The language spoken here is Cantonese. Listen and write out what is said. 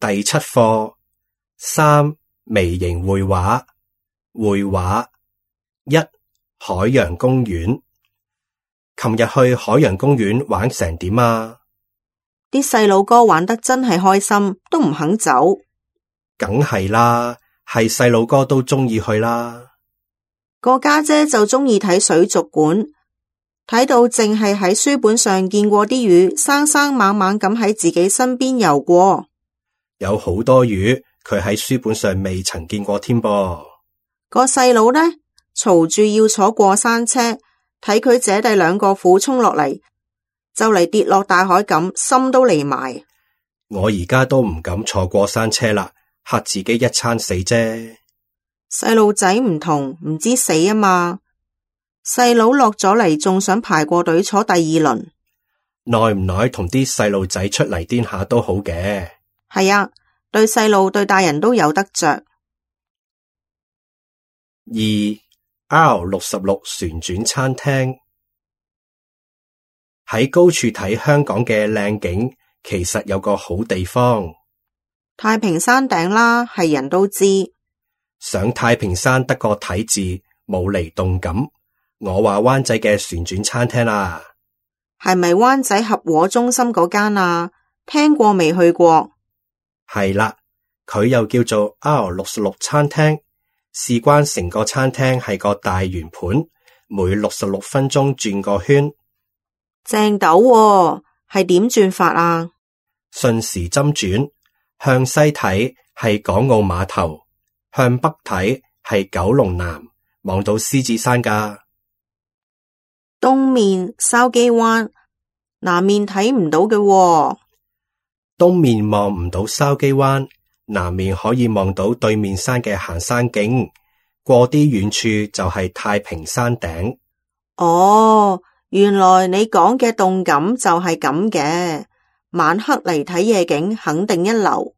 第7課3微型繪畫。繪畫1海洋公園。琴日去海洋公園玩成點啊？啲細路哥玩得真係開心，都唔肯走。梗係啦，係細路哥都鍾意去啦。個家姐就鍾意睇水族館，睇到淨係喺書本上見過啲魚，生生猛猛咁喺自己身邊游過。有好多魚，佢喺書本上未曾見過添噃。個細佬呢，嘈住要坐過山車，睇佢姐弟兩個俯衝落嚟，就嚟跌落大海咁，心都離埋。我而家都唔敢坐過山車啦，嚇自己一餐死啫。細路仔唔同，唔知死啊嘛。細佬落咗嚟，仲想排過隊坐第2輪。耐唔耐同啲細路仔出嚟癲下都好嘅。係啊，對細路對大人都有得着。2 R66 旋轉餐廳。喺高處睇香港嘅靚景，其實有個好地方。太平山頂啦，係人都知。上太平山得個睇字，冇嚟動感。我話灣仔嘅旋轉餐廳啦。係咪灣仔合和中心嗰間啊？聽過未去過？係啦，佢又叫做 R66 餐廳，事關成個餐廳係個大圓盤，每66分鐘轉個圈。正斗喎，係點轉法啊？順時針轉，向西睇係港澳碼頭，向北睇係九龍南，望到獅子山㗎。東面筲箕灣，南面睇唔到嘅喎。東面望唔到筲箕灣，南面可以望到對面山嘅行山徑，過啲遠處就係太平山頂。哦，原來你講嘅動感就係咁嘅，晚黑嚟睇夜景肯定一流。